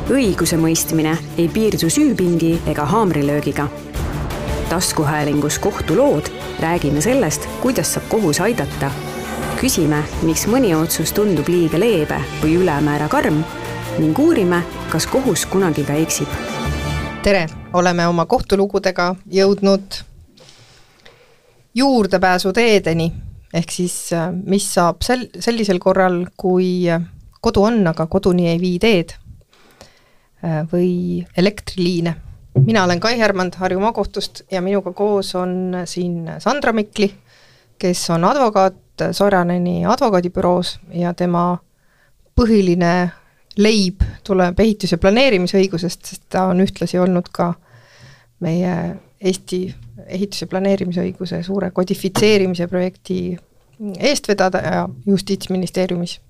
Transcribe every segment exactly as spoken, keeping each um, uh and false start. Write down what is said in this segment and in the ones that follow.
õiguse mõistmine ei piirdu süüpingi ega haamrilöögiga. Taskuhäälingus kohtulood räägime sellest, kuidas saab kohus aidata. Küsime, miks mõni otsus tundub liiga leebe või ülemäära karm ning uurime, kas kohus kunagi ka eksib. Tere, oleme oma kohtulugudega jõudnud juurdepääsu teedeni, ehk siis mis saab sel- sellisel korral, kui kodu on, aga koduni ei vii teed või elektriliine. Mina olen Kai Härmand Harju maakohtust ja minuga koos on siin Sandra Mikli, kes on advokaat Soraneni advokaadibüroos ja tema põhiline leib tuleb ehitus- ja planeerimisõigusest, sest ta on ühtlasi olnud ka meie Eesti ehitus- ja planeerimisõiguse suure kodifitseerimise projekti eestvedaja Justiitsministeeriumis.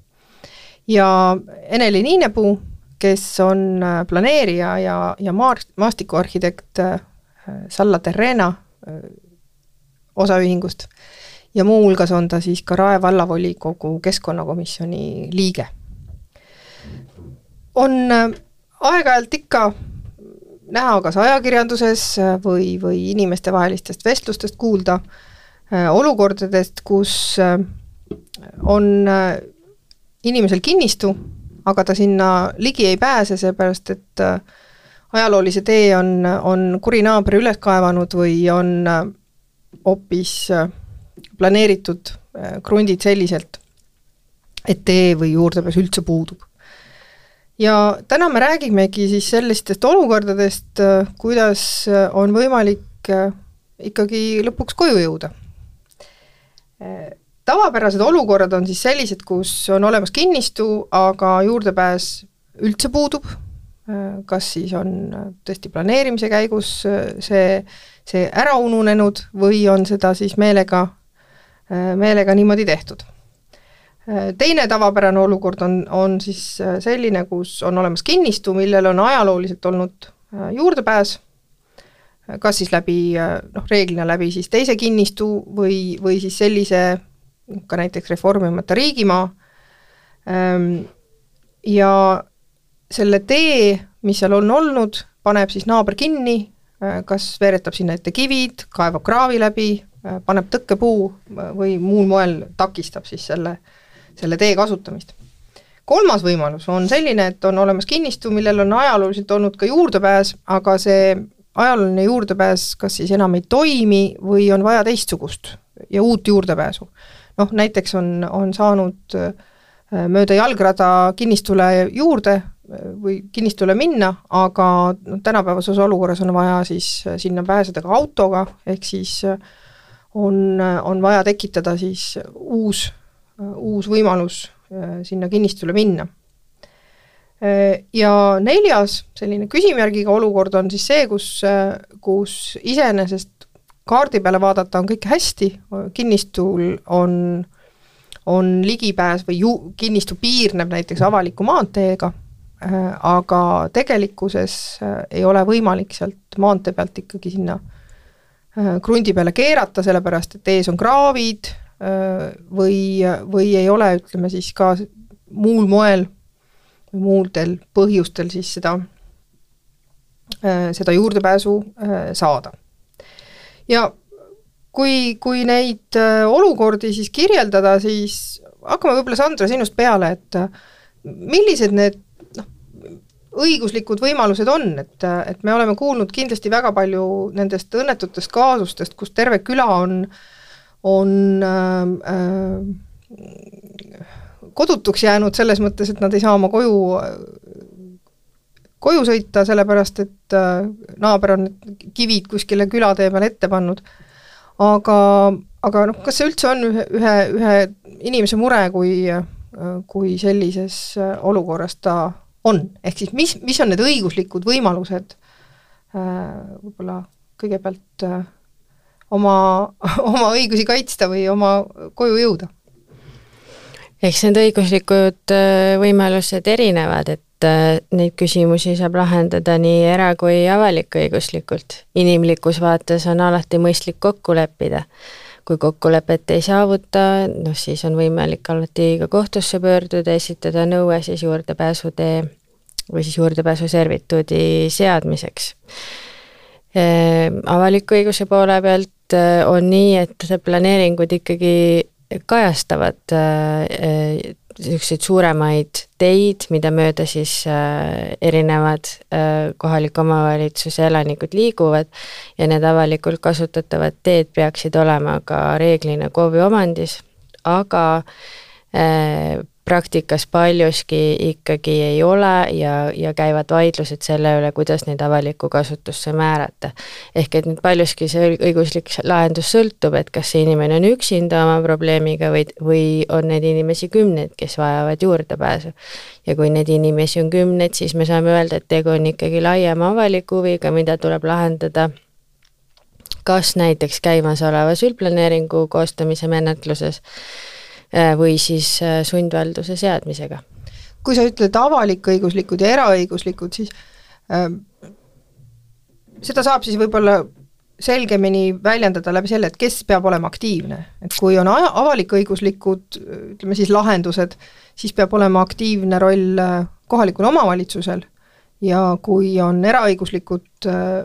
Ja Eneli Niinepuu, kes on planeerija ja, ja maastikuarhitekt Salla Terrena osaühingust ja muu hulgas on ta siis ka Rae vallavolikogu keskkonnakomisjoni liige. On aeg-ajalt ikka näha kas ajakirjanduses või, või inimeste vahelistest vestlustest kuulda olukordadest, kus on inimesel kinnistu, aga ta sinna ligi ei pääse, seepärast, et ajaloolise tee on, on kuri naabri üles kaevanud või on hoopis planeeritud krundid selliselt, et tee või juurdepääs üldse puudub. Ja täna me räägimegi siis sellistest olukordadest, kuidas on võimalik ikkagi lõpuks koju jõuda. Tavapärased olukorrad on siis sellised, kus on olemas kinnistu, aga juurdepääs üldse puudub. Kas siis on tõesti planeerimise käigus see, see ära ununenud või on seda siis meelega, meelega niimoodi tehtud. Teine tavapärane olukord on, on siis selline, kus on olemas kinnistu, millel on ajalooliselt olnud juurdepääs, kas siis läbi, noh, reeglina läbi siis teise kinnistu või, või siis sellise ka näiteks reformimata riigimaa. Ja selle tee, mis seal on olnud, paneb siis naaber kinni, kas veeretab sinna ette kivid, kaevab kraavi läbi, paneb tõkkepuu või muul moel takistab siis selle selle tee kasutamist. Kolmas võimalus on selline, et on olemas kinnistu, millel on ajalooliselt olnud ka juurdepääs, aga see ajalooline juurdepääs kas siis enam ei toimi või on vaja teistsugust ja uut juurdepääsu. Noh, näiteks on, on saanud mööda jalgrada kinnistule juurde või kinnistule minna, aga no, tänapäevases olukorras on vaja siis sinna pääseda ka autoga, ehk siis on, on vaja tekitada siis uus uus võimalus sinna kinnistule minna. Ja neljas selline küsimärgiga olukord on siis see, kus, kus iseenesest kaardi peale vaadata on kõik hästi, kinnistul on, on ligipääs või ju, kinnistu piirneb näiteks avaliku maanteega, aga tegelikkuses ei ole võimalik sealt maantee pealt ikkagi sinna krundi peale keerata, sellepärast et ees on kraavid, või, või ei ole, ütleme siis ka muul moel või muudel põhjustel siis seda, seda juurdepääsu saada. Ja kui, kui neid olukordi siis kirjeldada, siis hakkame võib-olla Sandra sinust peale, et millised need noh, õiguslikud võimalused on, et, et me oleme kuulnud kindlasti väga palju nendest õnnetutest kaasustest, kus terve küla on on äh, kodutuks jäänud selles mõttes, et nad ei saa oma koju, koju sõita, sellepärast et äh, naaber on kivid kuskile külatee peale ette pannud. Aga, aga noh, kas see üldse on ühe, ühe, ühe inimese mure, kui, kui sellises olukorras ta on? Ehk siis mis, mis on need õiguslikud võimalused äh, võib-olla kõigepealt äh, Oma, oma õigusi kaitsta või oma koju jõuda? Eks need õiguslikud võimalused erinevad, et neid küsimusi saab lahendada nii era- kui avalik-õiguslikult. Inimlikus vaates on alati mõistlik kokku leppida. Kui kokkulepet ei saavuta, noh siis on võimalik alati ka kohtusse pöörduda, esitada nõue siis juurdepääsutee või siis juurdepääsu servituudi seadmiseks. Avaliku õiguse poole pealt on nii, et planeeringud ikkagi kajastavad niisuguseid suuremaid teid, mida mööda siis erinevad kohaliku omavalitsuse elanikud liiguvad ja need avalikult kasutatavad teed peaksid olema ka reeglina K O V-i omandis, aga praktikas paljuski ikkagi ei ole ja, ja käivad vaidlused selle üle, kuidas neid avalikku kasutusse määrata. Ehk et nüüd paljuski see õiguslik lahendus sõltub, et kas see inimene on üksinda oma probleemiga või, või on need inimesi kümneid, kes vajavad juurdepääsu. Ja kui need inimesi on kümneid, siis me saame öelda, et tegu on ikkagi laiema avaliku huviga, mida tuleb lahendada kas näiteks käimasolevas üldplaneeringu koostamise menetluses või siis sundvalduse seadmisega. Kui sa ütled avalik-õiguslikud ja eraõiguslikud, siis äh, seda saab siis võib-olla selgemini väljendada läbi selle, et kes peab olema aktiivne. Et kui on avalik-õiguslikud, ütleme siis lahendused, siis peab olema aktiivne roll kohalikul omavalitsusel ja kui on eraõiguslikud äh,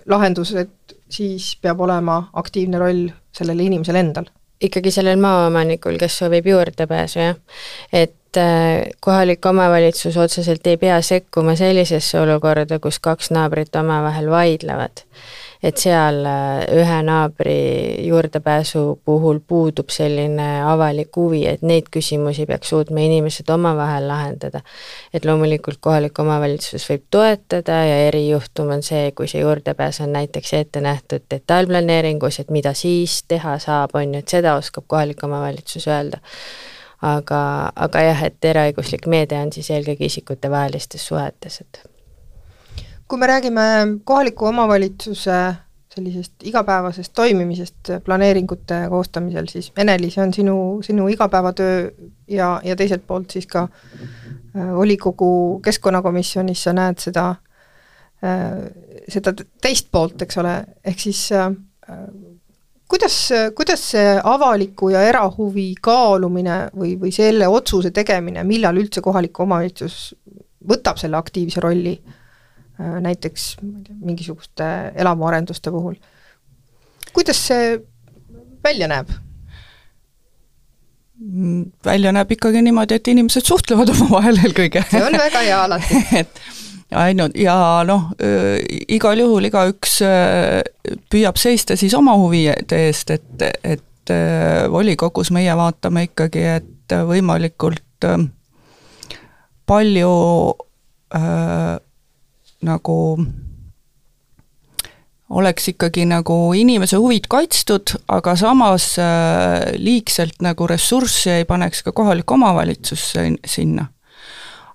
lahendused, siis peab olema aktiivne roll sellele inimesel endal. Ikkagi sellel maaomanikul, kes soovib juurdepääsu, jah. Et kohalik omavalitsus otseselt ei pea sekkuma sellisesse olukorda, kus kaks naabrit omavahel vaidlevad. Et seal ühe naabri juurdepääsu puhul puudub selline avalik huvi, et neid küsimusi peaks suutma inimesed omavahel lahendada. Et loomulikult kohalik omavalitsus võib toetada ja erijuhtum on see, kui see juurdepääs on näiteks ette nähtud detailplaneeringus, et mida siis teha saab, on ju, et seda oskab kohalik omavalitsus öelda. Aga, aga jah, et eraõiguslik meede on siis eelkõige isikute vahelistes suhetes, et kui me räägime kohaliku omavalitsuse sellisest igapäevasest toimimisest planeeringute koostamisel, siis Eneli, see on sinu, sinu igapäevatöö ja, ja teiselt poolt siis ka volikogu keskkonnakomisjonis sa näed seda, seda teist poolt, eks ole, ehk siis kuidas, kuidas see avaliku ja erahuvi kaalumine või, või selle otsuse tegemine, millal üldse kohaliku omavalitsus võtab selle aktiivse rolli näiteks mingisuguste elamuarenduste puhul. Kuidas see välja näeb? Välja näeb ikkagi niimoodi, et inimesed suhtlevad oma vahel eelkõige. See on väga hea alati. et ainult, ja noh, igal juhul igaüks püüab seista siis oma huvide eest, et, et volikogus meie vaatame ikkagi, et võimalikult palju äh, nagu oleks ikkagi nagu inimese huvid kaitstud, aga samas äh, liigselt nagu ressurssi ei paneks ka kohalik omavalitsus sinna.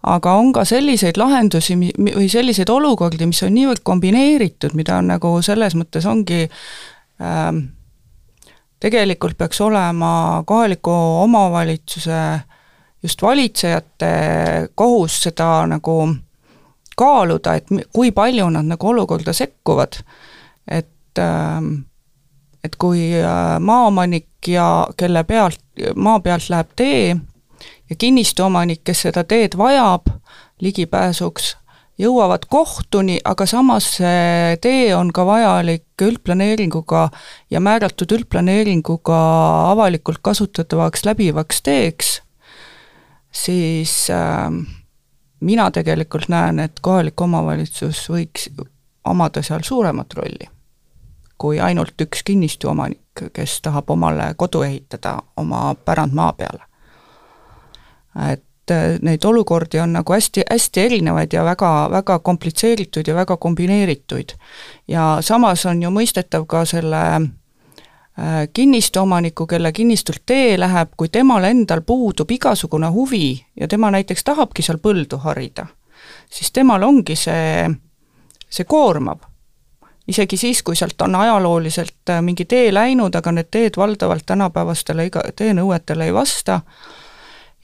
Aga on ka selliseid lahendusi või selliseid olukordi, mis on niivõrd kombineeritud, mida on nagu selles mõttes ongi äh, tegelikult peaks olema kohaliku omavalitsuse just valitsejate kohus seda nagu kaaluda, et kui palju nad nagu olukorda sekkuvad, et, et kui maaomanik ja kelle pealt, maa pealt läheb tee ja kinnistuomanik, kes seda teed vajab ligipääsuks, jõuavad kohtuni, aga samas see tee on ka vajalik üldplaneeringuga ja määratud üldplaneeringuga avalikult kasutatavaks läbivaks teeks, siis äh, mina tegelikult näen, et kohalik omavalitsus võiks omada seal suuremat rolli kui ainult üks kinnistuomanik, kes tahab omale kodu ehitada oma pärandmaa peale. Et neid olukordi on nagu hästi, hästi erinevaid ja väga, väga komplitseeritud ja väga kombineerituid. Ja samas on ju mõistetav ka selle kinnistuomaniku, kelle kinnistult tee läheb, kui temal endal puudub igasugune huvi ja tema näiteks tahabki seal põldu harida, siis temal ongi see, see koormav. Isegi siis, kui sealt on ajalooliselt mingi tee läinud, aga need teed valdavalt tänapäevastele teenõuetele ei vasta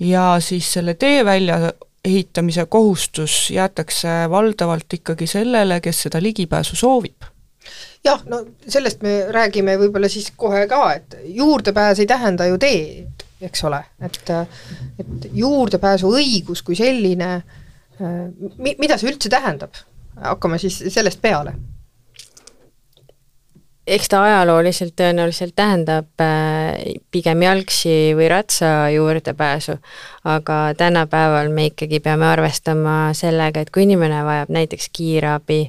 ja siis selle tee välja ehitamise kohustus jäetakse valdavalt ikkagi sellele, kes seda ligipääsu soovib. Jah, no sellest me räägime võib-olla siis kohe ka, et juurdepääs ei tähenda ju teed, eks ole, et, et juurdepääsu õigus kui selline Mi-, mida see üldse tähendab? Hakkame siis sellest peale. Eks ta ajalooliselt tõenäoliselt tähendab pigem jalgsi või ratsa juurdepääsu, aga tänapäeval me ikkagi peame arvestama sellega, et kui inimene vajab näiteks kiirabi,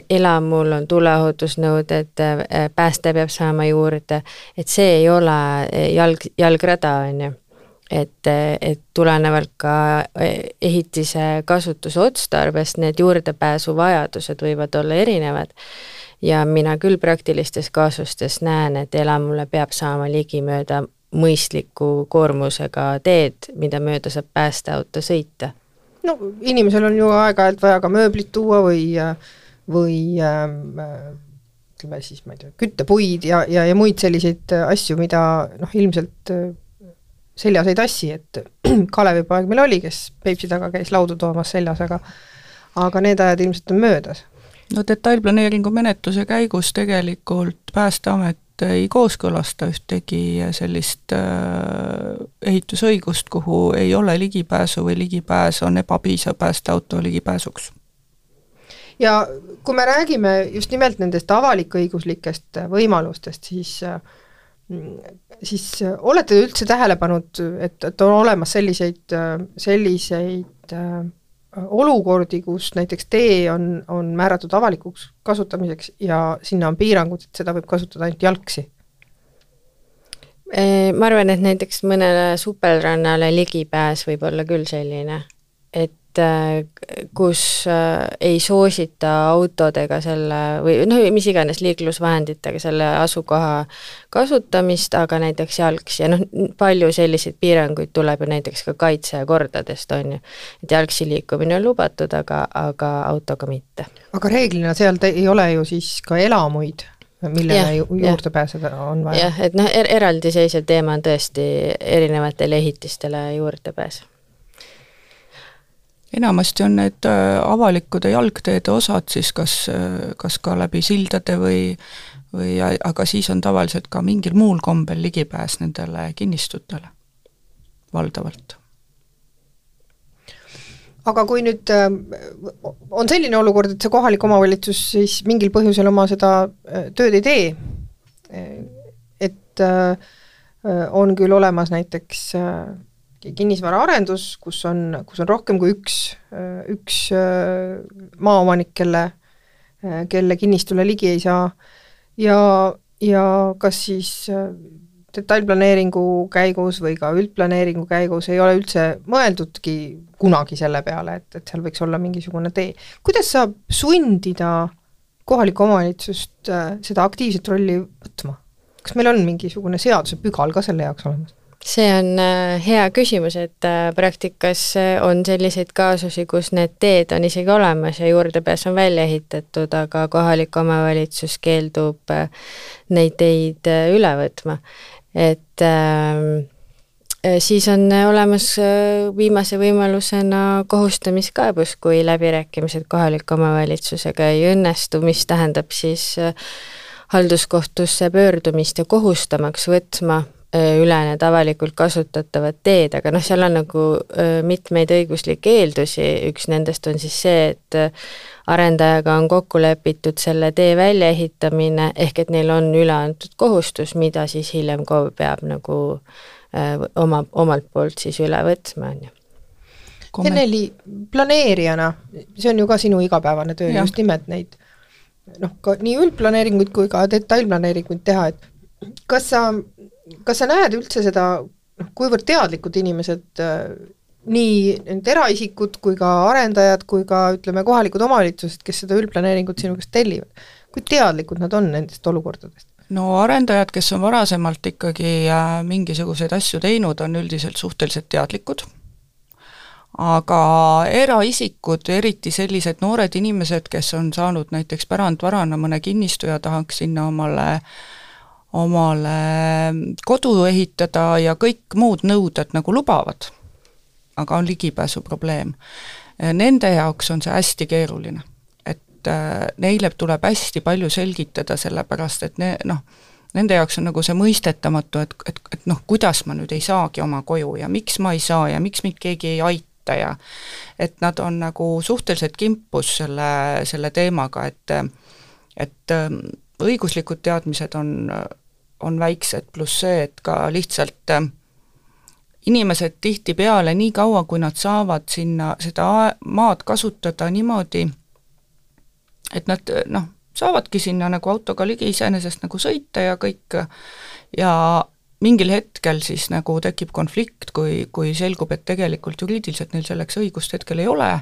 elamul on tuleohutusnõuded, pääste peab saama juurde, et see ei ole jalg, jalgrada, on ju. Et, et tulenevalt ka ehitise kasutuse otstarbest need juurdepääsu vajadused võivad olla erinevad ja mina küll praktilistes kaasustes näen, et elamule peab saama ligimööda mõistliku koormusega teed, mida mööda saab päästeauto sõita. No inimesel on ju aeg-ajalt vaja ka mööblit tuua või, või ütleme siis, ma ei tea, küttepuid ja, ja, ja muid selliseid asju, mida noh, ilmselt seljas ei tassi, et Kalevipoeg meil oli, kes Peipsi taga käis laudu toomas seljas, aga, aga need ajad ilmselt on möödas. No detailplaneeringu menetluse käigus tegelikult Päästeamet ei kooskõlasta ühtegi sellist äh, ehitusõigust, kuhu ei ole ligipääsu või ligipääs on ebapiisav päästeauto ligipääsuks. Ja kui me räägime just nimelt nendest avalikõiguslikest võimalustest, siis siis olete üldse tähele pannud, et, et on olemas selliseid, selliseid olukordi, kus näiteks tee on, on määratud avalikuks kasutamiseks ja sinna on piirangud, et seda võib kasutada ainult jalgsi? Ma arvan, et näiteks mõnele supelrannale ligipääs võib olla küll selline, et kus ei soosita autodega selle või noh, mis iganes liiklusvahenditega selle asukoha kasutamist, aga näiteks jalgsi ja noh, palju selliseid piiranguid tuleb ju näiteks ka kaitsekordadest, on ju, et jalgsi liikumine on lubatud, aga, aga autoga mitte. Aga reeglina seal ei ole ju siis ka elamuid, millele ju, juurde ja. Pääseda on vaja. Jah, et noh, er eraldiseisev teema on tõesti erinevatele ehitistele juurde pääs. Enamasti on need avalikud jalgteede osad siis kas, kas ka läbi sildade või, või, aga siis on tavaliselt ka mingil muul kombel ligipääs nendele kinnistutele valdavalt. Aga kui nüüd on selline olukord, et see kohalik omavalitsus siis mingil põhjusel oma seda tööd ei tee, et on küll olemas näiteks kinnisvara arendus, kus on, kus on rohkem kui üks, üks maaomanik, kelle, kelle kinnistule ligi ei saa ja, ja kas siis detailplaneeringu käigus või ka üldplaneeringu käigus ei ole üldse mõeldudki kunagi selle peale, et, et seal võiks olla mingisugune tee. Kuidas saab sundida kohalikku omavalitsust seda aktiivset rolli võtma? Kas meil on mingisugune seaduse pügal ka selle jaoks olemas? See on hea küsimus, et praktikas on selliseid kaasusi, kus need teed on isegi olemas ja juurdepääs on välja ehitatud, aga kohalik omavalitsus keeldub neid teid üle võtma. Et äh, siis on olemas viimase võimalusena kohustamiskaebus, kui läbirääkimised kohaliku omavalitsusega ei õnnestu, mis tähendab siis halduskohtusse pöördumist ja kohustamaks võtma üle need avalikult kasutatavad teed, aga noh, seal on nagu mitmeid õiguslikke eeldusi, üks nendest on siis see, et arendajaga on kokku lepitud selle tee väljaehitamine, ehk et neil on üle antud kohustus, mida siis hiljem KOV peab nagu oma, omalt poolt siis üle võtma. Enneli, planeerijana, see on ju ka sinu igapäevane töö, ja. Just nimelt neid noh, ka nii üldplaneeringuid kui ka detailplaneeringuid teha, et kas sa Kas sa näed üldse seda, kuivõrd teadlikud inimesed, nii need eraisikud kui ka arendajad, kui ka ütleme kohalikud omavalitsused, kes seda üldplaneeringut sinu käest tellivad, kui teadlikud nad on nendest olukordadest? No arendajad, kes on varasemalt ikkagi mingisuguseid asju teinud, on üldiselt suhteliselt teadlikud, aga eraisikud, eriti sellised noored inimesed, kes on saanud näiteks pärandvarana mõne kinnistu ja tahaks sinna omale omale kodu ehitada ja kõik muud nõuded nagu lubavad, aga on ligipääsu probleem. Nende jaoks on see hästi keeruline, et neile tuleb hästi palju selgitada sellepärast, et ne, noh, nende jaoks on nagu see mõistetamatu, et, et, et noh, kuidas ma nüüd ei saagi oma koju ja miks ma ei saa ja miks mind keegi ei aita võtta ja et nad on nagu suhteliselt kimpus selle, selle teemaga, et et õiguslikud teadmised on, on väiksed, pluss see, et ka lihtsalt inimesed tihtipeale nii kaua, kui nad saavad sinna seda maad kasutada niimoodi, et nad noh, saavadki sinna nagu autoga ligi iseenesest nagu sõita ja kõik ja mingil hetkel siis nagu tekib konflikt, kui, kui selgub, et tegelikult juriidiliselt neil selleks õigust hetkel ei ole.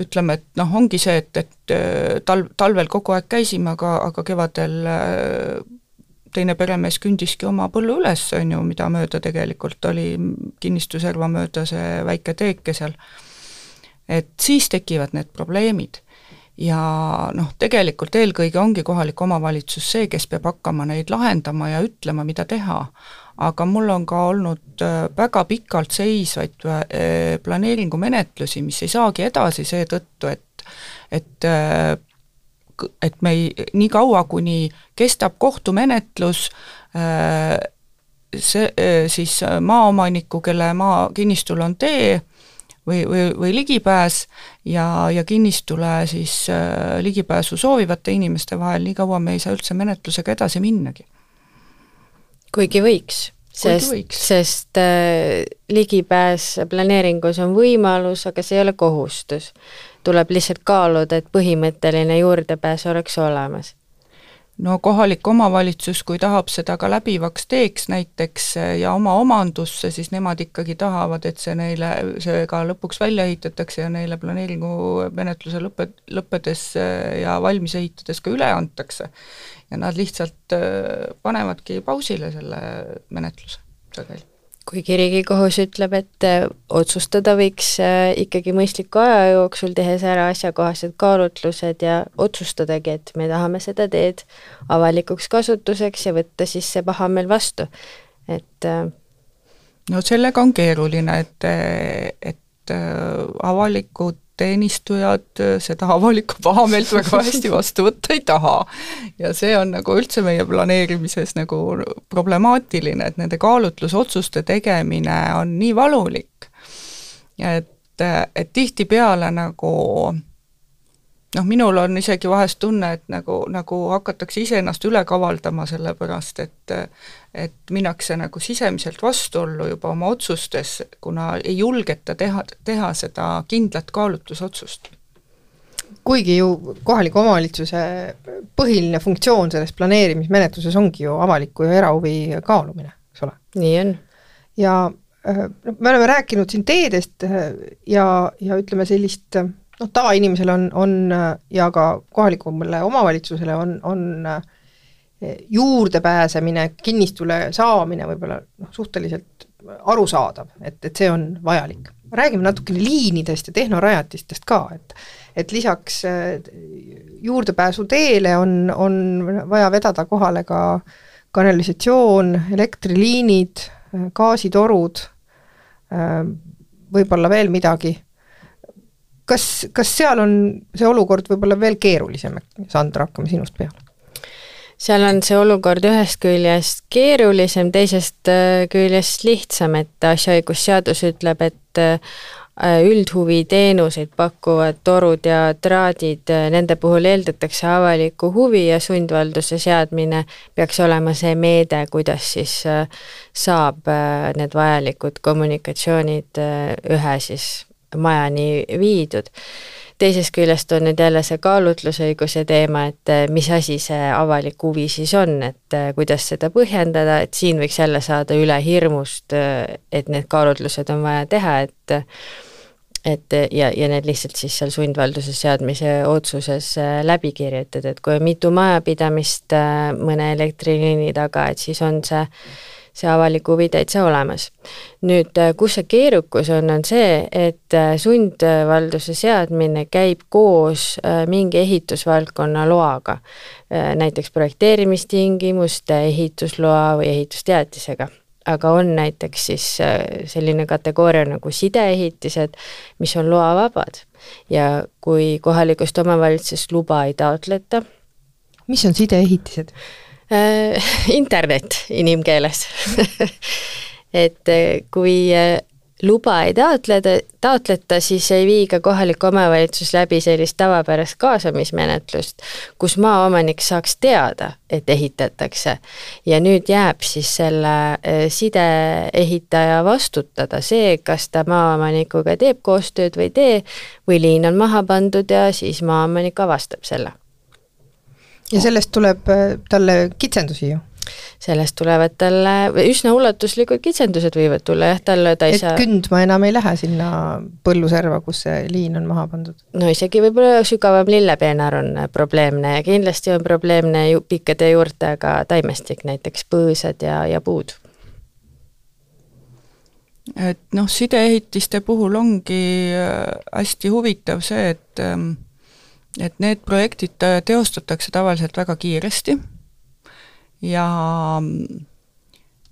Ütleme, et noh, ongi see, et, et tal, talvel kogu aeg käisime, aga, aga kevadel teine peremees kündiski oma põllu üles, on ju, mida mööda tegelikult oli kinnistuserva mööda see väike teeke seal. Et siis tekivad need probleemid. Ja noh, tegelikult eelkõige ongi kohalik omavalitsus see, kes peab hakkama neid lahendama ja ütlema, mida teha. Aga mul on ka olnud väga pikalt seisvaid planeeringu menetlusi, mis ei saagi edasi seetõttu, et, et, et me ei, nii kaua, kuni kestab kohtumenetlus, see, siis maaomaniku, kelle maa kinnistul on tee, või, või, või ligipääs ja, ja kinnistule siis äh, ligipääsu soovivate inimeste vahel, nii kaua me ei saa üldse menetlusega edasi minnagi. Kuigi võiks, sest, võiks. sest äh, ligipääs planeeringus on võimalus, aga see ei ole kohustus. Tuleb lihtsalt kaaluda, et põhimõtteline juurdepääs oleks olemas. No kohalik omavalitsus, kui tahab seda ka läbivaks teeks näiteks ja oma omandusse, siis nemad ikkagi tahavad, et see neile, see ka lõpuks välja ehitatakse ja neile planeeringu menetluse lõppe, lõppedes ja valmis ehitades ka üle antakse. Ja nad lihtsalt panevadki pausile selle menetluse sageli. Kuigi Riigikohus ütleb, et otsustada võiks ikkagi mõistliku aja jooksul, tehes ära asjakohased kaalutlused ja otsustadagi, et me tahame seda teed avalikuks kasutuseks ja võtta siis see paha meil vastu. Et no sellega on keeruline, et, et avalikud teenistujad seda avalikku pahameelt väga hästi vastu võtta ei taha. Ja see on nagu üldse meie planeerimises nagu problemaatiline, et nende kaalutlusotsuste tegemine on nii valulik. Et, et tihti peale nagu noh, minul on isegi vahest tunne, et nagu, nagu hakatakse ise ennast üle kavaldama selle pärast, et, et minnakse nagu sisemiselt vastuollu juba oma otsustes, kuna ei julgeta teha, teha seda kindlat kaalutlusotsust. Kuigi ju kohaliku omavalitsuse põhiline funktsioon selles planeerimismenetluses ongi ju avaliku ja erahuvi kaalumine, eks ole? Nii on. Ja me oleme rääkinud siin teedest ja, ja ütleme sellist noh, tavainimesele on, on ja ka kohalikule omavalitsusele on, on juurdepääsemine, kinnistule saamine võib-olla noh, suhteliselt arusaadav, et, et see on vajalik. Räägime natukene liinidest ja tehnorajatistest ka, et, et lisaks juurdepääsu teele on, on vaja vedada kohale ka kanalisatsioon, elektriliinid, gaasitorud, võib-olla veel midagi. Kas, kas seal on see olukord võib-olla veel keerulisem? Sandra, hakkame sinust peale. Seal on see olukord ühest küljest keerulisem, teisest küljest lihtsam, et asjaõigusseadus ütleb, et üldhuvi teenuseid pakkuvad torud ja traadid, nende puhul eeldatakse avaliku huvi ja sundvalduse seadmine peaks olema see meede, kuidas siis saab need vajalikud kommunikatsioonid ühe siis majani viidud. Teisest küljest on nüüd jälle see kaalutlusõiguse teema, et mis asi see avalik huvi siis on, et kuidas seda põhjendada, et siin võiks jälle saada üle hirmust, et need kaalutlused on vaja teha, et et ja, ja need lihtsalt siis seal sundvalduse seadmise otsuses läbi kirjutada, et kui on mitu majapidamist mõne elektriliini taga, et siis on see see avalik huvi täitsa olemas. Nüüd, kus see keerukus on, on see, et sundvalduse seadmine käib koos mingi ehitusvaldkonna loaga, näiteks projekteerimistingimuste, ehitusloa või ehitusteatisega. Aga on näiteks siis selline kategooria nagu sideehitised, mis on loavabad. Ja kui kohalikust omavalitsusest luba ei taotleta. Mis on sideehitised? Internet inimkeeles. Et kui luba ei taotleda, taotleta, siis ei vii ka kohalik omavalitsus läbi sellist tavapärast kaasamismenetlust, kus maaomanik saaks teada, et ehitatakse. Ja nüüd jääb siis selle sideehitaja vastutada see, kas ta maaomanikuga teeb koostööd või tee, või liin on maha pandud ja siis maaomanik avastab selle. Ja sellest tuleb talle kitsendusi ju? Sellest tulevad talle, üsna ulatuslikud kitsendused võivad tulla, jah, talle ta ei et saa... kündma enam ei lähe sinna põlluserva, kus see liin on maha pandud? No isegi võib-olla sügavam lillepeenar on probleemne ja kindlasti on probleemne ju pikkade juurtega taimestik, näiteks põõsad ja, ja puud. Et noh, sideehitiste puhul ongi hästi huvitav see, et, et need projektid teostatakse tavaliselt väga kiiresti ja,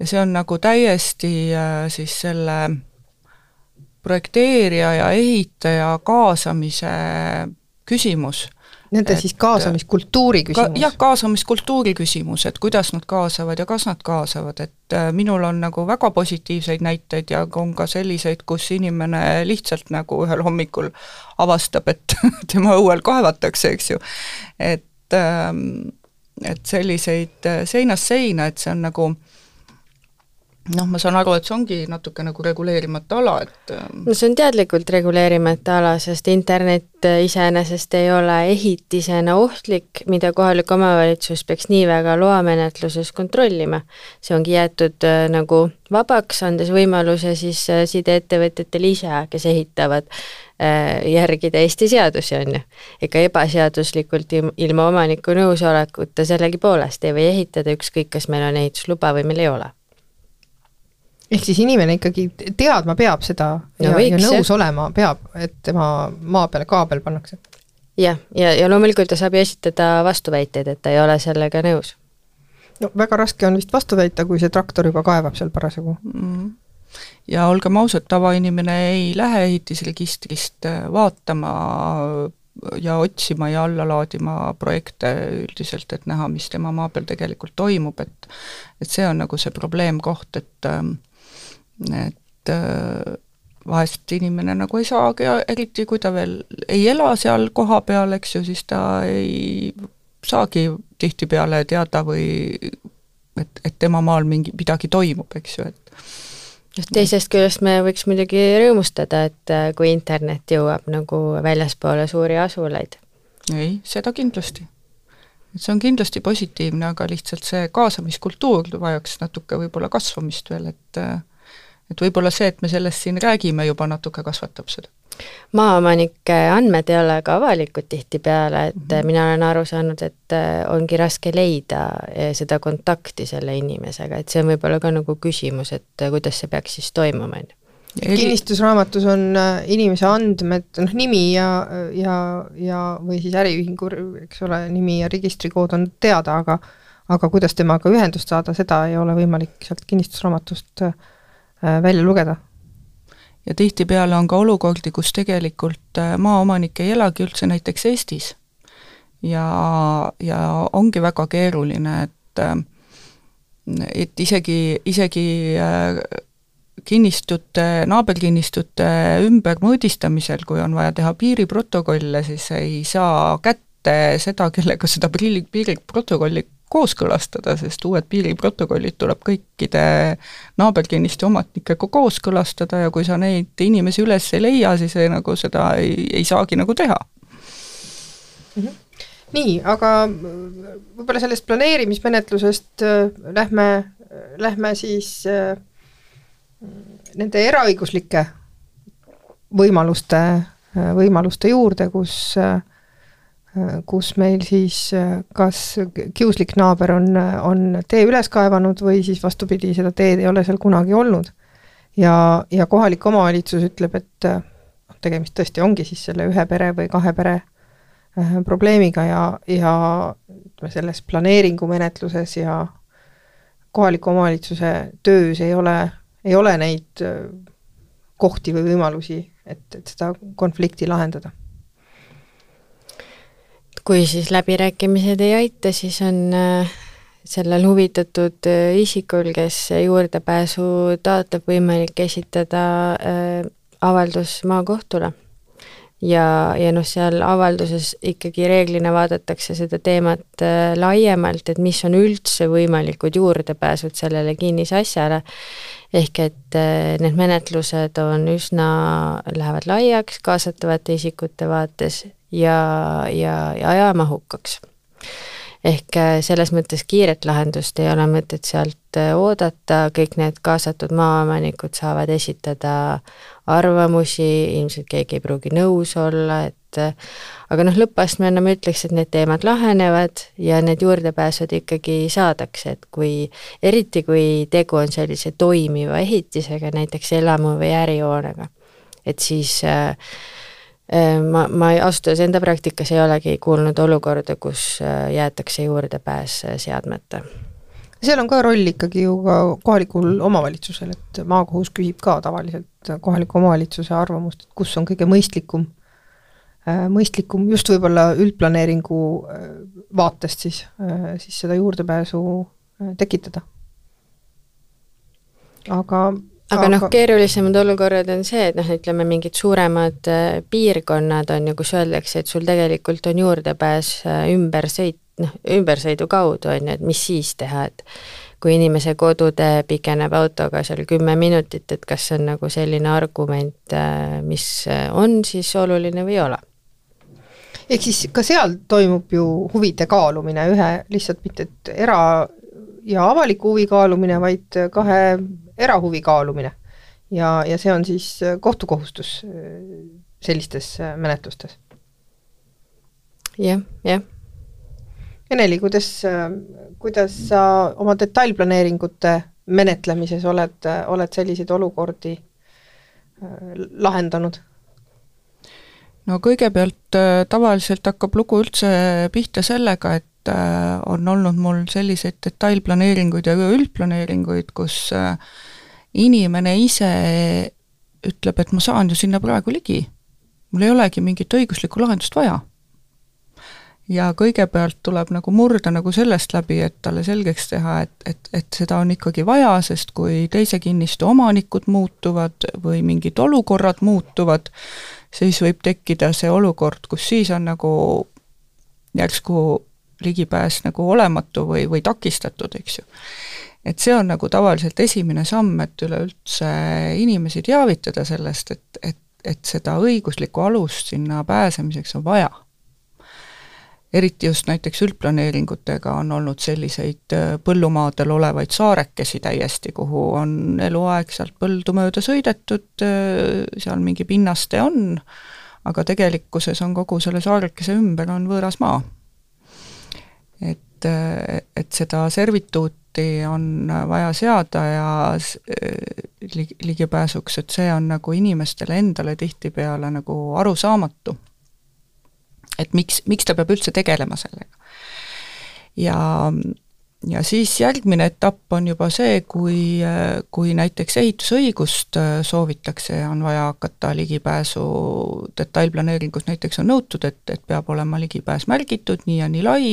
ja see on nagu täiesti siis selle projekteerija ja ehitaja kaasamise küsimus. Nende et, siis kaasamiskultuuri küsimus? Ka, jah, kaasamiskultuuri küsimus, et kuidas nad kaasavad ja kas nad kaasavad, et minul on nagu väga positiivseid näiteid ja on ka selliseid, kus inimene lihtsalt nagu ühel hommikul avastab, et tema õuel kaevatakse, eks ju, et et selliseid seinast seina, et see on nagu noh, ma saan aru, et see ongi natuke nagu reguleerimata ala, et no see on teadlikult reguleerimata ala, sest internet iseenesest ei ole ehitisena ohtlik, mida kohalik omavalitsus peaks nii väga loamenetluses kontrollima. See ongi jäetud nagu vabaks, andes võimaluse siis sideettevõtjatel ise, kes ehitavad järgida Eesti seadusi on ju. Ega ebaseaduslikult ilma omaniku nõusolekuta sellegi poolest ei või ehitada ükskõik, kas meil on ehitusluba või meil ei ole. Ehk siis inimene ikkagi teadma peab seda ja, no võiks, ja nõus jah. Olema peab, et tema maa peale kaabel pannakse. Jah, ja, ja loomulikult ta saab esitada vastuväiteid, et ta ei ole sellega nõus. No väga raske on vist vastu väita, kui see traktor juba kaevab seal parasjagu. Mm. Ja olgem ausad, tavainimene ei lähe ehitisregistrist vaatama ja otsima ja alla laadima projekte üldiselt, et näha, mis tema maa peal tegelikult toimub, et, et see on nagu see probleemkoht, et et vahest inimene nagu ei saagi, eriti kui ta veel ei ela seal koha peal, eks ju, siis ta ei saagi tihti peale teada või et, et tema maal mingi midagi toimub, eks ju, et teisest küljest me võiks muidugi rõõmustada, et kui internet jõuab nagu väljaspoole suuri asulaid. Ei, seda kindlasti. See on kindlasti positiivne, aga lihtsalt see kaasamiskultuur vajaks natuke võib-olla kasvamist veel, et, et võib-olla see, et me sellest siin räägime, juba natuke kasvatab seda. Maaomanike andmed ei ole ka avalikud tihti peale, et mm-hmm. mina olen aru saanud, et ongi raske leida seda kontakti selle inimesega, et see on võib-olla ka nagu küsimus, et kuidas see peaks siis toimuma. Kinnistusraamatus on inimese andmed, noh, nimi ja, ja, ja või siis äriühingu, eks ole, nimi ja registrikood on teada, aga, aga kuidas temaga ühendust saada, seda ei ole võimalik sealt kinnistusraamatust välja lugeda. Ja tihtipeale on ka olukordi, kus tegelikult maaomanik ei elagi üldse näiteks Eestis. Ja, ja ongi väga keeruline, et, et isegi, isegi kinnistute, naaberkinnistute ümber mõõdistamisel, kui on vaja teha piiriprotokolle, siis ei saa kätte seda, kellega seda piiriprotokolli kooskõlastada, sest uued piiriprotokollid tuleb kõikide naaberkinniste omatnikega kooskõlastada ja kui sa neid inimesi üles ei leia, siis ei, nagu seda ei, ei saagi nagu teha. Mm-hmm. Nii, aga võib-olla sellest planeerimismenetlusest lähme, lähme siis nende eraõiguslike võimaluste, võimaluste juurde, kus kus meil siis kas kiuslik naaber on, on tee üles kaevanud või siis vastupidi, seda teed ei ole seal kunagi olnud. Ja, ja kohalik omavalitsus ütleb, et tegemist tõesti ongi siis selle ühe pere või kahe pere probleemiga ja, ja selles planeeringu menetluses ja kohaliku omavalitsuse töös ei ole, ei ole neid kohti või võimalusi, et, et seda konflikti lahendada. Kui siis läbirääkimised ei aita, siis on sellel huvitatud isikul, kes juurdepääsu taotleb, võimalik esitada äh, avaldus maakohtule. Ja, ja noh, seal avalduses ikkagi reeglina vaadatakse seda teemat äh, laiemalt, et mis on üldse võimalikud juurdepääsud sellele kinnisasjale, ehk et äh, need menetlused on üsna, lähevad laiaks kaasatavate isikute vaates ja, ja, ja ajamahukaks. Ehk selles mõttes kiiret lahendust ei ole mõtet sealt oodata, kõik need kaasatud maaomanikud saavad esitada arvamusi, ilmselt keegi ei pruugi nõus olla, et aga noh, lõppastmena ma ütleks, et need teemad lahenevad ja need juurdepääsud ikkagi saadakse, et kui, eriti kui tegu on sellise toimiva ehitisega, näiteks elamu või ärihoonega, et siis äh, Ma, ma ausalt enda praktikas ei olegi kuulnud olukorda, kus jäetakse juurdepääs seadmete. Seal on ka roll ikkagi ju ka kohalikul omavalitsusel, et maakohus küsib ka tavaliselt kohaliku omavalitsuse arvamust, et kus on kõige mõistlikum, mõistlikum just võib-olla üldplaneeringu vaatest siis, siis seda juurdepääsu tekitada. Aga aga noh, keerulisemad olukorrad on see, et noh, ütleme mingid suuremad piirkonnad on ju, kus öeldakse, et sul tegelikult on juurdepääs ümbersõit, noh, ümbersõidu kaudu on ju, et mis siis teha, et kui inimese kodude pikeneb autoga seal kümme minutit, et kas on nagu selline argument, mis on siis oluline või ei ole. Ehk siis ka seal toimub ju huvide kaalumine, ühe lihtsalt mitte et era- ja avaliku huvi kaalumine, vaid kahe erahuvi kaalumine ja, ja see on siis kohtukohustus sellistes menetlustes. Jah, jah. Eneli, kuidas, kuidas sa oma detailplaneeringute menetlemises oled, oled selliseid olukordi lahendanud? No kõigepealt tavaliselt hakkab lugu üldse pihta sellega, et on olnud mul selliseid detailplaneeringuid ja üldplaneeringuid, kus inimene ise ütleb, et ma saan ju sinna praegu ligi. Mul ei olegi mingit õiguslikku lahendust vaja. Ja kõigepealt tuleb nagu murda nagu sellest läbi, et talle selgeks teha, et, et, et seda on ikkagi vaja, sest kui teise kinnistu omanikud muutuvad või mingid olukorrad muutuvad, siis võib tekkida see olukord, kus siis on nagu järsku ligipääs nagu olematu või, või takistatud, eks ju. Et see on nagu tavaliselt esimene samm, et üleüldse inimesi teavitada sellest, et, et, et seda õiguslikku alust sinna pääsemiseks on vaja. Eriti just näiteks üldplaneeringutega on olnud selliseid põllumaadel olevaid saarekesi täiesti, kuhu on eluaeg sealt põldu mööda sõidetud, seal mingi pinnaste on, aga tegelikkuses on kogu selle saarekese ümber on võõras maa. Et, et seda servituuti on vaja seada ja ligipääsuks, et see on nagu inimestele endale tihtipeale nagu arusaamatu. Et miks, miks ta peab üldse tegelema sellega. Ja, ja siis järgmine etapp on juba see, kui, kui näiteks ehitusõigust soovitakse ja on vaja hakata ligipääsu detailplaneeringus näiteks on nõutud, et, et peab olema ligipääs märgitud nii ja nii lai,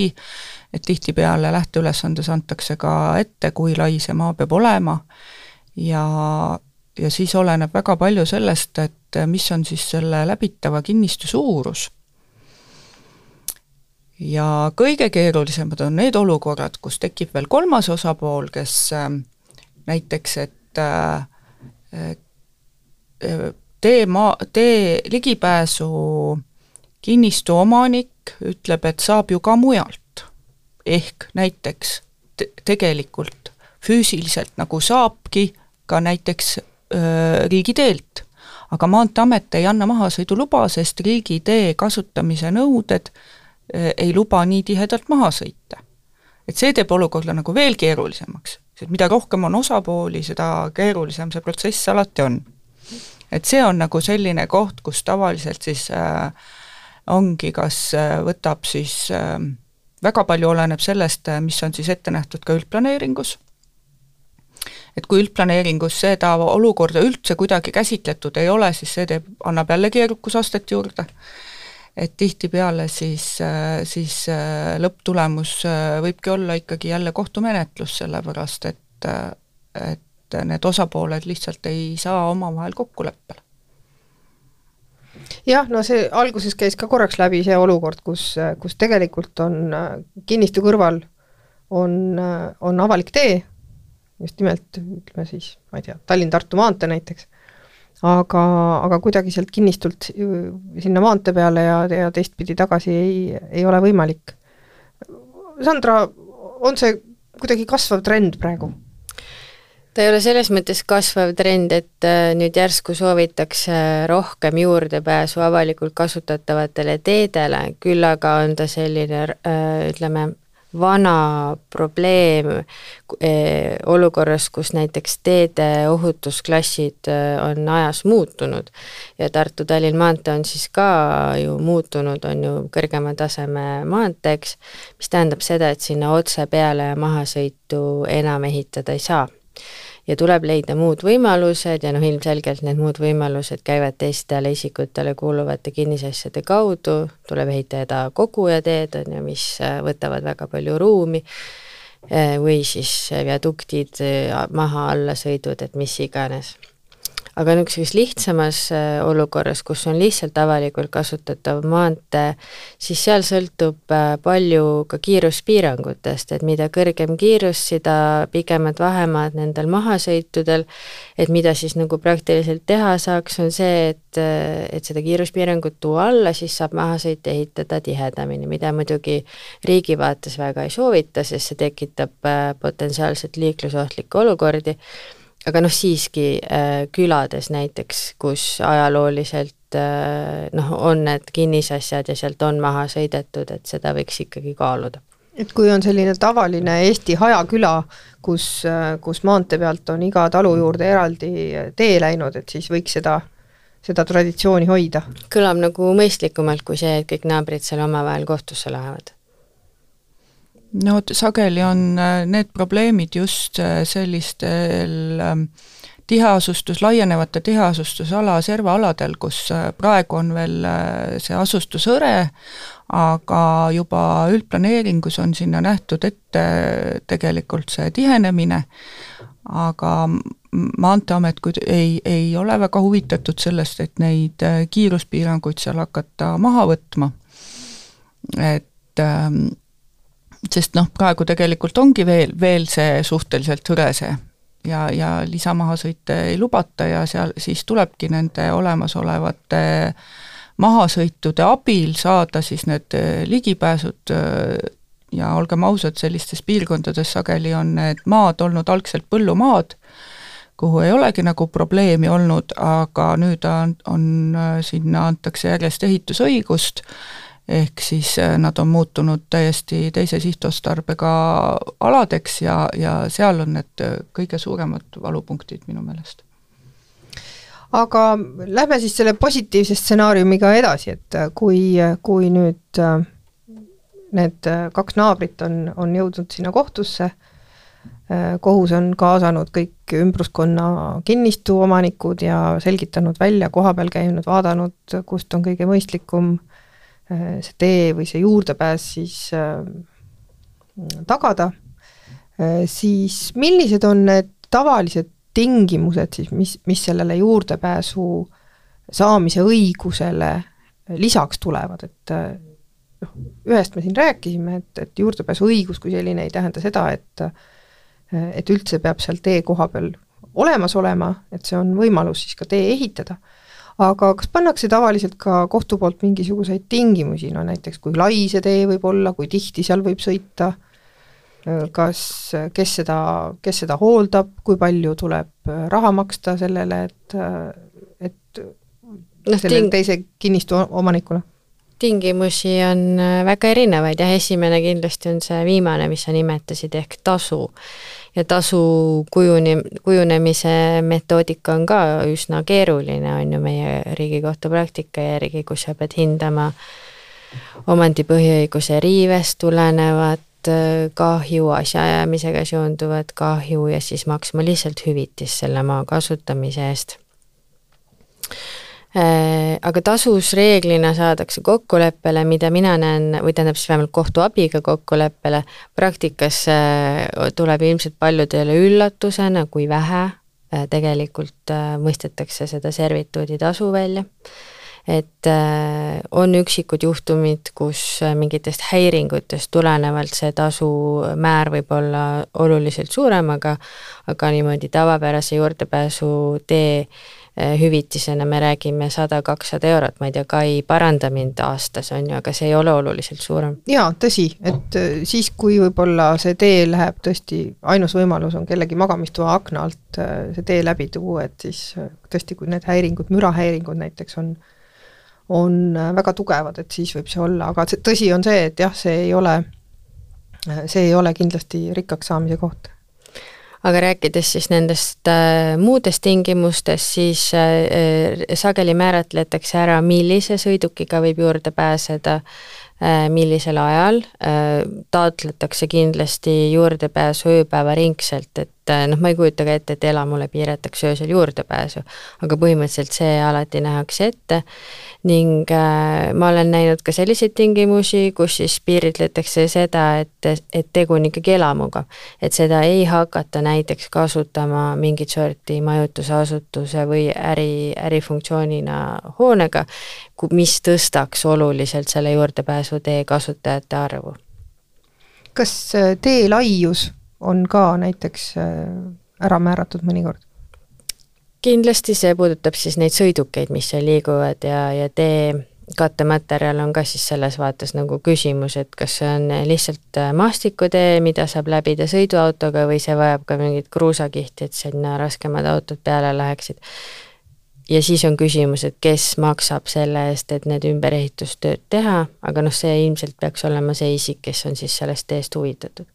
et tihtipeale lähteülesandes antakse ka ette, kui lai see maa peab olema ja, ja siis oleneb väga palju sellest, et mis on siis selle läbitava kinnistu suurus. Ja kõige keerulisemad on need olukorrad, kus tekib veel kolmas osapool, kes äh, näiteks, et äh, tee, maa, tee ligipääsu kinnistu omanik ütleb, et saab ju ka mujalt. Ehk näiteks te- tegelikult füüsiliselt nagu saabki ka näiteks öö, riigiteelt, aga Maanteeamet ei anna mahasõiduluba, sest riigitee kasutamise nõuded ei luba nii tihedalt maha sõita. Et see teeb olukorda nagu veel keerulisemaks, sest mida rohkem on osapooli, seda keerulisem see protsess alati on. Et see on nagu selline koht, kus tavaliselt siis äh, ongi, kas äh, võtab siis äh, väga palju oleneb sellest, mis on siis ette nähtud ka üldplaneeringus. Et kui üldplaneeringus seda olukorda üldse kuidagi käsitletud ei ole, siis see teeb, annab jälle keerukusastet juurde. et tihtipeale siis, siis lõpptulemus võibki olla ikkagi jälle kohtumenetlus, sellepärast et, et need osapooled lihtsalt ei saa omavahel kokkuleppele. Jah, no see alguses käis ka korraks läbi see olukord, kus, kus tegelikult on kinnistu kõrval on, on avalik tee, just nimelt, ütleme siis, ma ei tea, Tallinn-Tartu maantee näiteks, aga, aga kuidagi sealt kinnistult sinna maantee peale ja, ja teistpidi tagasi ei, ei ole võimalik. Sandra, on see kuidagi kasvav trend praegu? Ta ei ole selles mõttes kasvav trend, et nüüd järsku soovitakse rohkem juurdepääsu avalikult kasutatavatele teedele, küll aga on ta selline, ütleme, vana probleem olukorras, kus näiteks teede ohutusklassid on ajas muutunud ja Tartu-Tallinn maantee on siis ka ju muutunud, on ju kõrgema taseme maanteeks, mis tähendab seda, et sinna otse peale ja mahasõitu enam ehitada ei saa. Ja tuleb leida muud võimalused ja noh, ilmselgelt need muud võimalused käivad teistele isikutele kuuluvate kinnisasjade kaudu, tuleb ehitada kogujateed, mis võtavad väga palju ruumi või siis viaduktid, maha alla sõidud, et mis iganes. Aga niisuguses lihtsamas olukorras, kus on lihtsalt avalikult kasutatav maantee, siis seal sõltub palju ka kiiruspiirangutest, et mida kõrgem kiirus, seda pikemad vahemaad nendel mahasõitudel, et mida siis nagu praktiliselt teha saaks, on see, et, et seda kiiruspiirangut tuua alla, siis saab mahasõit ehitada tihedamini, mida muidugi riigi vaates väga ei soovita, sest see tekitab potentsiaalselt liiklusohtlikke olukordi. Aga noh, siiski äh, külades näiteks, kus ajalooliselt äh, noh, on need kinnisasjad ja sealt on maha sõidetud, et seda võiks ikkagi kaaluda. Et kui on selline tavaline Eesti hajaküla, kus, kus maantee pealt on iga talu juurde eraldi tee läinud, et siis võiks seda, seda traditsiooni hoida? Kõlab nagu mõistlikumalt kui see, et kõik naabrid seal omavahel kohtusse lähevad. No sageli on need probleemid just sellistel tiheasustus, laienevate tiheasustusala, servaaladel, kus praegu on veel see asustusõre, aga juba üldplaneeringus on sinna nähtud ette tegelikult see tihenemine, aga Maanteeamet ei, ei ole väga huvitatud sellest, et neid kiiruspiiranguid seal hakata maha võtma, et sest noh, praegu tegelikult ongi veel, veel see suhteliselt hõrese ja, ja lisamahasõite ei lubata ja seal siis tulebki nende olemasolevate mahasõitude abil saada siis need ligipääsud ja olgem ausad, sellistes piirkondades sageli on need maad olnud algselt põllumaad, kuhu ei olegi nagu probleemi olnud, aga nüüd on, on sinna antakse järjest ehitusõigust, ehk siis nad on muutunud täiesti teise sihtostarbega aladeks ja, ja seal on need kõige suuremad valupunktid minu meelest. Aga lähme siis selle positiivse stsenaariumiga edasi, et kui, kui nüüd need kaks naabrit on, on jõudnud sinna kohtusse, kohus on kaasanud kõik ümbruskonna kinnistu omanikud ja selgitanud välja, koha peal käinud, vaadanud, kust on kõige mõistlikum see tee või see juurdepääs siis äh, tagada, äh, siis millised on need tavalised tingimused siis, mis, mis sellele juurdepääsu saamise õigusele lisaks tulevad, et äh, ühest me siin rääkisime, et, et juurdepääsu õigus kui selline ei tähenda seda, et, et üldse peab seal tee koha peal olemas olema, et see on võimalus siis ka tee ehitada. Aga kas pannakse tavaliselt ka kohtu poolt mingisuguseid tingimusi, no näiteks kui lai see tee võib olla, kui tihti seal võib sõita, kas, kes seda, kes seda hooldab, kui palju tuleb raha maksta sellele, et, et no, sellele ting- teise kinnistu omanikule? Tingimusi on väga erinevaid ja esimene kindlasti on see viimane, mis sa nimetasid, ehk tasu. Ja tasu kujune, kujunemise metoodika on ka üsna keeruline, on ju meie Riigikohtu praktika järgi, kus sa pead hindama omandipõhiõiguse riivest tulenevat kahju, asjaajamisega seonduvat kahju ja siis maksma lihtsalt hüvitis selle maa kasutamise eest. Aga tasus reeglina saadakse kokkuleppele, mida mina näen, või tähendab siis vähemalt kohtu abiga kokkuleppele, praktikas tuleb ilmselt paljudele üllatusena, kui vähe tegelikult mõistetakse seda servituudi tasu välja. Et on üksikud juhtumid, kus mingitest häiringutest tulenevalt see tasu määr võib olla oluliselt suurem, aga, aga niimoodi tavapärase juurdepääsu tee hüvitisena me räägime sada kakssada eurot, ma ei tea, Kai paranda mind aastas on ju, aga see ei ole oluliselt suurem. Jaa, tõsi, et siis kui võib-olla see tee läheb tõesti, ainus võimalus on kellegi magamistoa akna alt see tee läbi tuua, et siis tõesti, kui need häiringud, mürahäiringud näiteks on, on väga tugevad, et siis võib see olla, aga tõsi on see, et jah, see ei ole, see ei ole kindlasti rikkaks saamise koht. Aga rääkides siis nendest äh, muudest tingimustest, siis äh, sageli määratletakse ära, millise sõidukiga võib juurde pääseda, äh, millisel ajal, äh, taotletakse kindlasti juurdepääsu ööpäeva ringselt, et äh, noh, ma ei kujuta ka ette, et elamule piiratakse öösel juurdepääsu, aga põhimõtteliselt see alati nähakse ette ning äh, ma olen näinud ka selliseid tingimusi, kus siis piiritletakse seda, et, et tegu on ikkagi elamuga, et seda ei hakata näiteks kasutama mingit sorti majutusasutuse või äri, ärifunktsioonina hoonega, mis tõstaks oluliselt selle juurdepääsu tee kasutajate arvu. Kas tee laius on ka näiteks ära määratud mõnikord? Kindlasti see puudutab siis neid sõidukeid, mis seal liiguvad ja, ja tee kattematerjal on ka siis selles vaates nagu küsimus, et kas see on lihtsalt maastikutee, mida saab läbida sõiduautoga või see vajab ka mingit kruusakihti, et sinna raskemad autod peale läheksid. Ja siis on küsimus, et kes maksab selle eest, et need ümberehitustööd teha, aga noh, see ilmselt peaks olema see isik, kes on siis sellest teest huvitatud.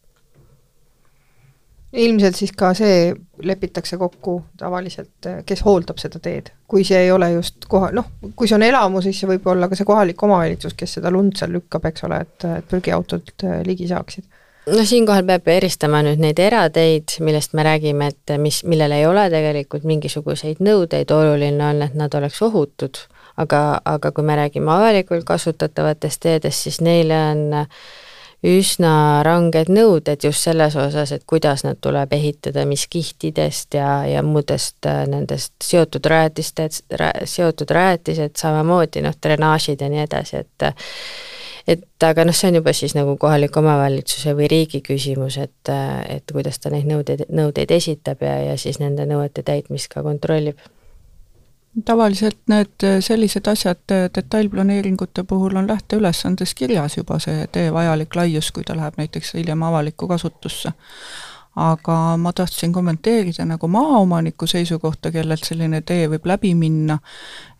Ilmselt siis ka see lepitakse kokku tavaliselt, kes hooldab seda teed. Kui see ei ole just koha, noh, kui see on elamu, siis see võib olla ka see kohalik omavalitsus, kes seda lund seal lükkab, eks ole, et, et prügiautod ligi saaksid. No siinkohal peab eristama nüüd neid erateid, millest me räägime, et mis, millel ei ole tegelikult mingisuguseid nõudeid, oluline on, et nad oleks ohutud, aga, aga kui me räägime avalikult kasutatavatest teedest, siis neile on üsna ranged nõuded just selles osas, et kuidas nad tuleb ehitada, mis kihtidest ja, ja muudest nendest seotud rajatistest, seotud rajatised, samamoodi noh, drenaažid ja nii edasi, et et aga noh, see on juba siis nagu kohaliku omavalitsuse või riigi küsimus, et, et kuidas ta neid nõudeid, nõudeid esitab ja, ja siis nende nõuete täitmist ka kontrollib. Tavaliselt need sellised asjad detailplaneeringute puhul on lähteülesandes kirjas juba see tee vajalik laius, kui ta läheb näiteks hiljem avalikku kasutusse. Aga ma tahtsin kommenteerida nagu maaomaniku seisukohta, kellelt selline tee võib läbi minna,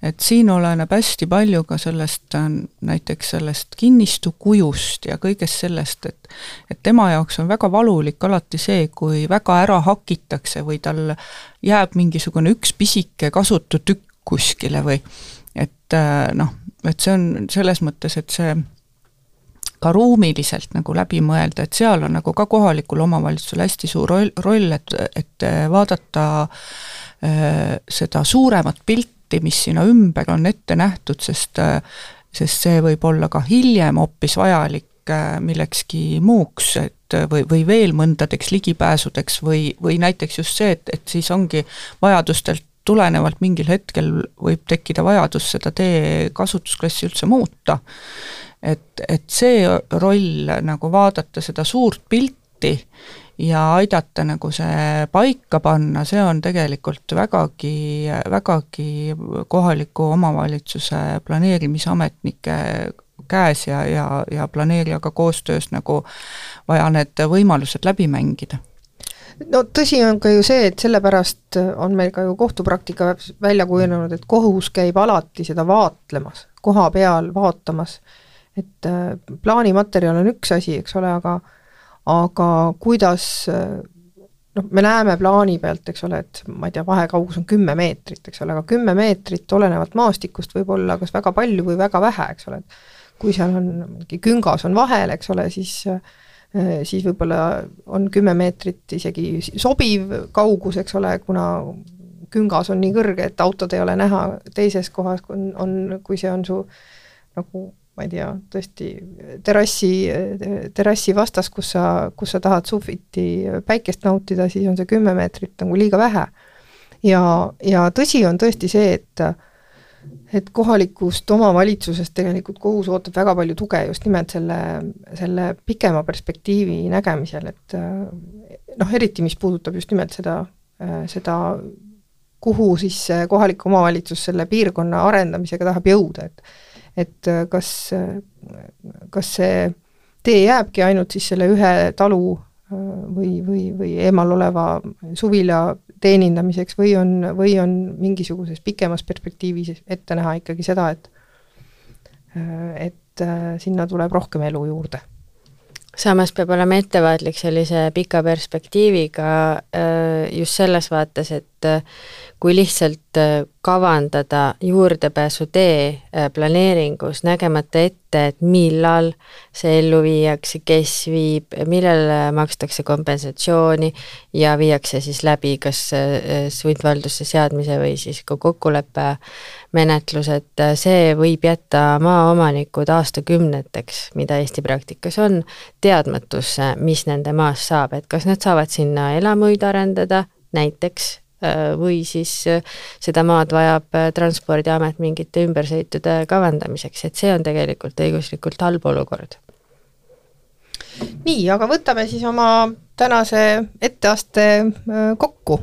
et siin oleneb hästi palju ka sellest, näiteks sellest kinnistu kujust ja kõigest sellest, et, et tema jaoks on väga valulik alati see, kui väga ära hakitakse või tal jääb mingisugune üks pisike kasutu tükk kuskile või et noh, et see on selles mõttes, et see ka ruumiliselt nagu läbi mõelda, et seal on nagu ka kohalikul omavalitsusel hästi suur roll, roll et, et vaadata äh, seda suuremat pilti, mis sinna ümber on ette nähtud, sest, sest see võib olla ka hiljem hoopis vajalik äh, millekski muuks, et või, või veel mõndadeks ligipääsudeks või, või näiteks just see, et, et siis ongi vajadustelt tulenevalt mingil hetkel võib tekkida vajadus seda tee kasutusklassi üldse muuta. Et, et see roll nagu vaadata seda suurt pilti ja aidata nagu see paika panna, see on tegelikult vägagi, vägagi kohaliku omavalitsuse planeerimisametnike käes ja, ja, ja planeerijaga koostöös nagu vaja need võimalused läbi mängida. No tõsi on ka ju see, et sellepärast on meil ka ju kohtupraktika välja kujunenud, et kohus käib alati seda vaatlemas, koha peal vaatamas, et plaanimaterjal on üks asi, eks ole, aga, aga kuidas, noh, me näeme plaani pealt, eks ole, et ma ei tea, vahekaugus on kümme meetrit, eks ole, aga kümme meetrit olenevalt maastikust võib olla kas väga palju või väga vähe, eks ole, et kui seal on mingi küngas on vahel, eks ole, siis siis võib-olla on kümme meetrit isegi sobiv kaugus, eks ole, kuna küngas on nii kõrge, et autod ei ole näha teises kohas, on, on, kui see on su nagu ma ei tea, tõesti terassi, terassi vastas, kus sa, kus sa tahad sufiti päikest nautida, siis on see kümme meetrit nagu liiga vähe. Ja, ja tõsi on tõesti see, et, et kohalikust omavalitsusest tegelikult kohus ootab väga palju tuge just nimelt selle, selle pikema perspektiivi nägemisel, et noh, eriti mis puudutab just nimelt seda, seda kuhu siis kohalik omavalitsus selle piirkonna arendamisega tahab jõuda, et et kas, kas see tee jääbki ainult siis selle ühe talu või, või, või eemal oleva suvila teenindamiseks või on, või on mingisuguses pikemas perspektiivis ette näha ikkagi seda, et, et sinna tuleb rohkem elu juurde. Samas peab olema ettevaatlik sellise pika perspektiiviga just selles vaates, et kui lihtsalt kavandada juurdepääsu tee planeeringus, nägemata ette, et millal see ellu viiakse, kes viib, millal makstakse kompensatsiooni ja viiakse siis läbi kas sundvaldusse seadmise või siis ka kokkuleppe menetlus, et see võib jätta maaomanikud aastakümneteks, mida Eesti praktikas on, teadmatusse, mis nende maast saab, et kas nad saavad sinna elamuid arendada näiteks, või siis seda maad vajab Transpordiamet mingite ümbersõitude kavandamiseks, et see on tegelikult õiguslikult halb olukord. Nii, aga võtame siis oma tänase etteaste kokku,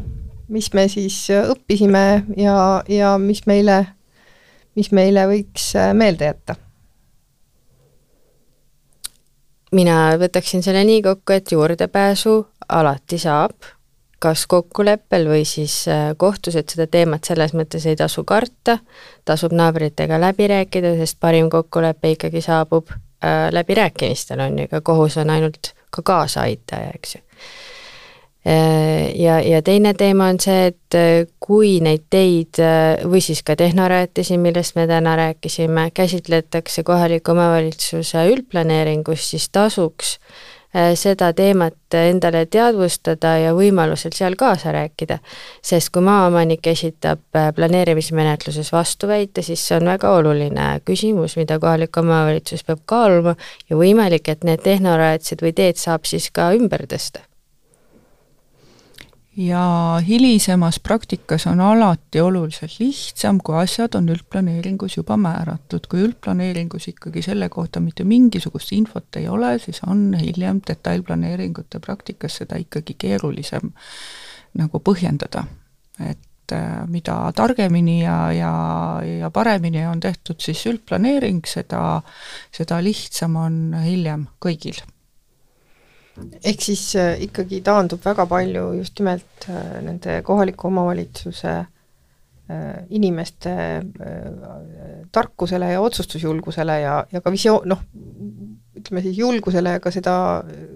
mis me siis õppisime ja, ja mis meile, mis meile võiks meelde jätta. Mina võtaksin selle nii kokku, et juurdepääsu alati saab, kas kokkuleppel või siis kohtus, et seda teemat selles mõttes ei tasu karta, tasub naabritega läbi rääkida, sest parim kokkulepe ikkagi saabub äh, läbi rääkimistel on ju, ka kohus on ainult ka kaasa aitaja, eks ju. Ja, ja teine teema on see, et kui neid teid või siis ka tehnarajatisi, millest me täna rääkisime, käsitletakse kohaliku omavalitsuse üldplaneeringus, siis tasuks seda teemat endale teadvustada ja võimalusel seal kaasa rääkida, sest kui maaomanik esitab planeerimismenetluses vastuväite, siis see on väga oluline küsimus, mida kohalik omavalitsus peab kaaluma ja võimalik, et need tehnorajatsid või teed saab siis ka ümber tõsta. Ja hilisemas praktikas on alati oluliselt lihtsam, kui asjad on üldplaneeringus juba määratud. Kui üldplaneeringus ikkagi selle kohta mitte mingisugust infot ei ole, siis on hiljem detailplaneeringute praktikas seda ikkagi keerulisem nagu põhjendada. Et mida targemini ja, ja, ja paremini on tehtud siis üldplaneering, seda, seda lihtsam on hiljem kõigil. Ehk siis äh, ikkagi taandub väga palju just nimelt äh, nende kohaliku omavalitsuse äh, inimeste äh, tarkusele ja otsustusjulgusele ja, ja ka visioon, noh, ütleme siis julgusele ja ka seda,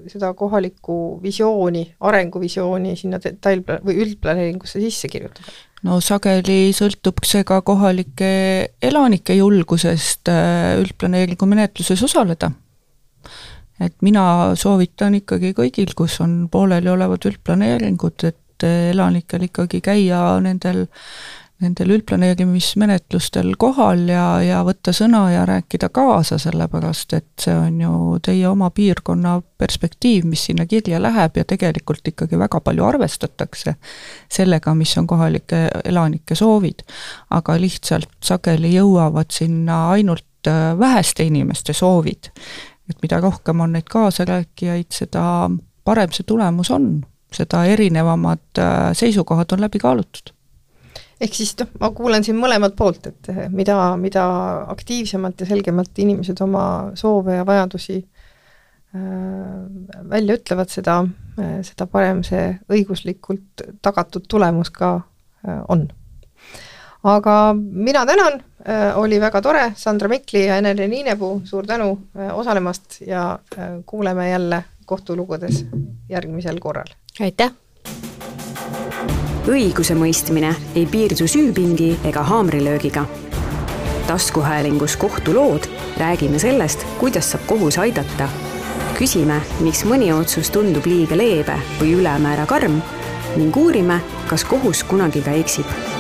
seda kohalikku visiooni, arenguvisiooni sinna detailpla- või üldplaneeringusse sisse kirjutada. No sageli sõltub see ka kohalike elanike julgusest äh, üldplaneeringu menetluses osaleda. Et mina soovitan ikkagi kõigil, kus on pooleli olevad üldplaneeringud, et elanikel ikkagi käia nendel, nendel üldplaneerimismenetlustel kohal ja, ja võtta sõna ja rääkida kaasa, sellepärast, et see on ju teie oma piirkonna perspektiiv, mis sinna kirja läheb ja tegelikult ikkagi väga palju arvestatakse sellega, mis on kohalike elanike soovid, aga lihtsalt sageli jõuavad sinna ainult väheste inimeste soovid. Et mida rohkem on neid kaasarääkijaid, seda parem see tulemus on, seda erinevamad seisukohad on läbi kaalutud. Ehk siis noh, ma kuulen siin mõlemalt poolt, et mida, mida aktiivsemalt ja selgemalt inimesed oma soove ja vajadusi äh, välja ütlevad, seda, äh, seda parem see õiguslikult tagatud tulemus ka äh, on. Aga mina tänan, äh, oli väga tore, Sandra Mikli ja Ene-Li Niinepuu, suur tänu äh, osalemast ja äh, kuuleme jälle kohtulugudes järgmisel korral. Aitäh! Õiguse mõistmine ei piirdu süüpingi ega haamrilöögiga. Taskuhäälingus kohtulood räägime sellest, kuidas saab kohus aidata. Küsime, miks mõni otsus tundub liiga leebe või ülemäära karm ning uurime, kas kohus kunagi ka eksib